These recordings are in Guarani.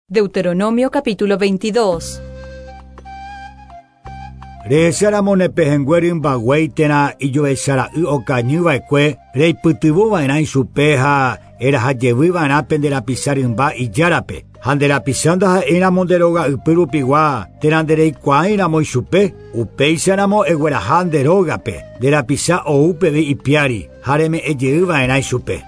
Deuteronomio capítulo 22. Rehecháramo ne pehẽngue rymba guéi térã ijovechara'y okañyva'ekue reipytyvõva'erã ichupe ha eraha jevyva'erã pende rapicha rymba ijárape. Ha nde rapicha ndaha'éiramo nde róga ypy rupigua térã ndereikuaáiramo ichupe, upéicharamo egueraha nde rógape, nde rapicha ou peve ipiári ha reme'ẽjeyva'erã ichupe.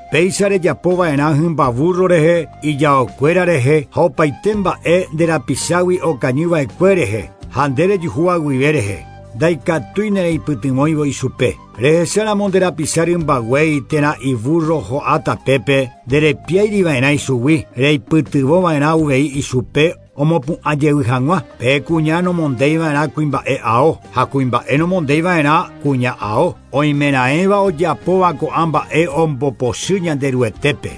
Péicha rejapova'erã hymba burro rehe, ijaokuéra rehe ha opaite mba'e nde rapichágui okañyva'ekue rehe ha nde rejuhúva guive rehe. Ndaikatúi nereipytyvõivo ichupe. Rehecháramo nde rapicha rymba guéi térã iburro ho'a tapépe nderepiáiriva'erã ichugui, reipytyvõva'erã uvei ichupe omopu'ã jey hag̃ua. Pe kuña nomondéiva'erã kuimba'e ao ha kuimba'e nomondéiva'erã kuña ao. Oimeraẽva ojapóva ko'ã mba'e ombopochy Ñanderuetépe.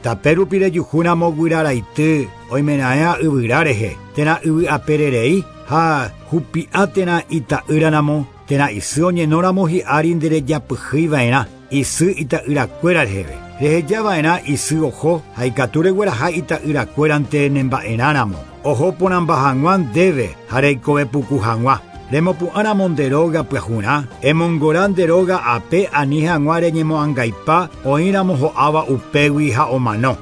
Tape rupi rejuhúramo guyra raity oimeraẽva yvyra rehe, térã yvy apererei ha hupi'a térã ita'ýraramo, térã isy oñenóramo hi'ári nderejapyhýiva'erã isy ita'yrakuéra reheve. Rehejava'erã isy oho ha ikatu regueraha ita'yrakuérante nemba'erãramo. Oho porãmba hag̃ua ndéve ha reikove puku hag̃ua. Remopu'ãramo nde róga pyahurã, emongora nde róga ape ani hag̃ua reñemoangaipa oĩramo ho'áva upégui ha omano.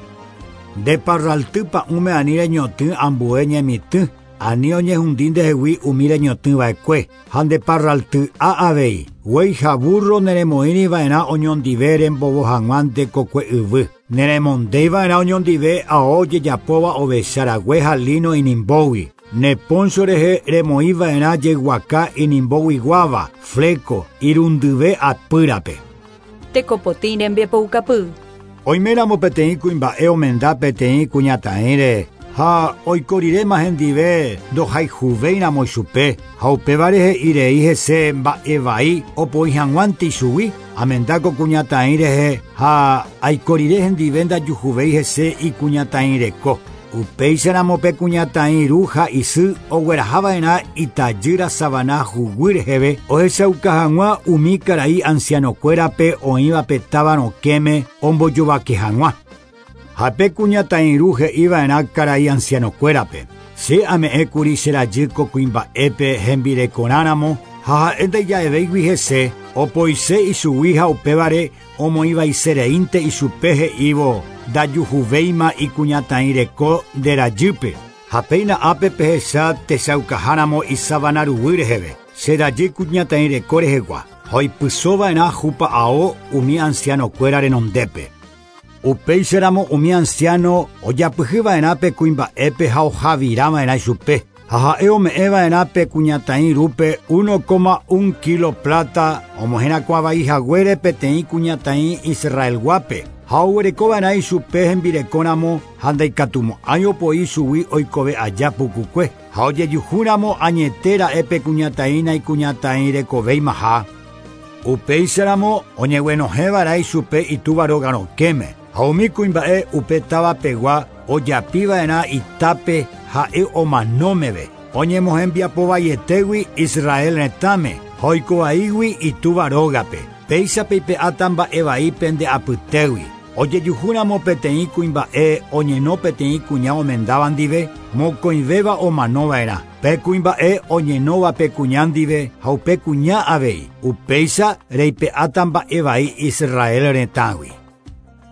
Nde parralty pa'ũme ani reñotỹ ambue ñemitỹ, ani oñehundi ndehegui umi reñotỹva'ekue, ha nde parralty a avei. Guéi ha burro neremoĩriva'erã oñondive rembovo hag̃ua nde kokue yvy. Neremondéiva'erã oñondive ao ojejapóva ovecha rague ha lino inimbógui. Ne poncho rehe remoĩva'erã jeguaka inimboguiguáva, fleco, irundyve apýrape. Tekopotĩ rembiapoukapy. Oiméramo peteĩ kuimba'e omenda peteĩ kuñataĩre ha oiko riréma hendive ndohayhuvéiramo ichupe ha upévare he'irei hese mba'e vai opoi hag̃uánte ichugui, amenda ko kuñataĩ rehe ha aiko rire hendive ndajuhuvéi hese ikuñataĩ reko. Upéicharamo pe kuñataĩ ru ha isy oguerahava'erã itajýra savana huguy reheve ohechauka hag̃ua umi karai ancianokuérape oĩva pe táva rokẽme ombojovake hag̃ua. Ha pe kuñataĩ ru he'iva'erã karai ancianokuérape. Che ame'ẽkuri che rajy ko kuimba'épe hembirekorãramo ha ha'e ndaija'evéigui hese opoise ichugui ha upévare omoĩvaisereínte ichupe he'ívo ndajuhuvéima ikuñataĩ reko nde rajýpe. Ha péina ápe pehecha techaukaháramo isavana ruguy reheve, che rajy kuñataĩ reko rehegua, ha oipysova'erã hupa'ao umi ancianokuéra renondépe. Upéicharamo umi anciano ojapyhyva'erã pe kuimba'épe ha ohavirava'erã ichupe. Ha ha'e ome'ẽva'erã pe kuñataĩ rúpe 1,1 kilo plata omoherakuãvai haguére peteĩ kuñataĩ Israelguápe. Ha oguerekova'erã ichupe hembirekóramo ha ndaikatumo'ãi opoi chugui oikove aja pukukue. Ha ojejuhúramo añete ra'e pe kuñataĩ naikuñataĩ rekovéimaha. Upéicharamo oñeguenohẽva'erã ichupe itúva róga rokẽme. Ha umi kuimba'e upe táva pegua ojapiva'erã itápe ha'e omanómeve. Oñemohembiapovaietégui Israel retãme ha oikovaígui itúva rógape. Péicha peipe'áta mba'e pende apytégui. Ojejuhúramo peteĩ kuimba'e oñeno peteĩ kuña omendáva ndive, mokõivéva omanova'erã. Pe kuimba'e oñenóva pe kuña ndive ha upe kuña avei. Upéicha reipe'áta mba'e vai Israel retãgui.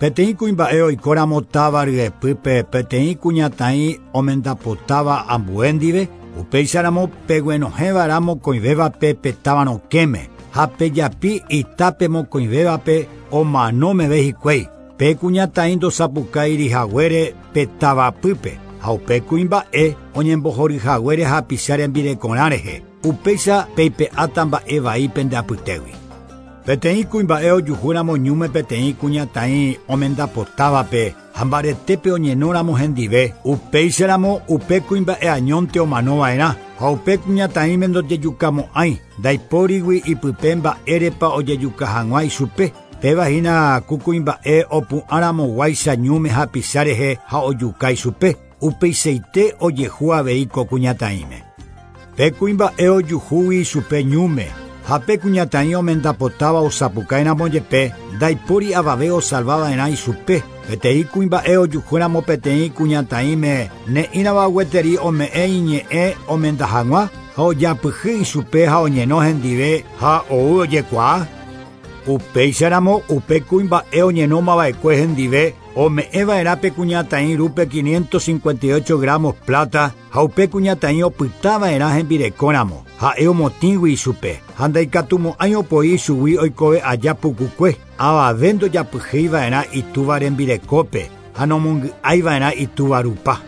Peteĩ kuimba'e oikóramo táva ryepýpe peteĩ kuñataĩ omendapotáva ambue ndive, upéicharamo peguenohẽva'erã mokõivévape pe táva rokẽme ha pejapi itápe mokõivévape omano meve hikuái. Pe kuñataĩ ndosapukáiri haguére pe tavapýpe ha upe kuimba'e oñembohory haguére hapicha rembirekorã rehe. Upéicha peipe'áta mba'e vai pende apytégui. Peteĩ kuimba'e ojuhúramo ñúme peteĩ kuñataĩ omendapotávape ha mbaretépe oñenóramo hendive, upéicharamo upe kuimba'e añónte omanova'erã ha upe kuñataĩme ndojejukamo'ãi ndaipórigui ipype mba'érepa ojejuka hag̃ua ichupe. Péva hína ku kuimba'e opu'ãramoguáicha ñúme hapicha rehe ha ojuka ichupe. Upeichaite ojehu avei ko kuñataĩme. Pe kuimba'e ojuhúgui ichupe ñúme Ha pe kuñataĩ omendapotáva osapukáiramo jepe, ndaipóri avave osalvava'erã ichupe. Peteĩ kuimba'e ojuhúramo peteĩ kuñataĩme ne'ĩrava gueteri ome'ẽ iñe'ẽ omenda hag̃ua ha ojapyhy ichupe ha oñeno hendive ha ou ojekuaa. Upéicharamo upe kuimba'e oñenómava'ekue hendive ome'ẽva'erã pe kuñataĩ rúpe 558 gramos plata ha upe kuñataĩ opytava'erã hembirekóramo. Ha'e omotĩgui ichupe ha ndaikatumo'ãi opoi ichugui oikove aja pukukue. Avave ndojapyhýiva'erã itúva rembirekópe ha nomongy'aiva'erã itúva rupa.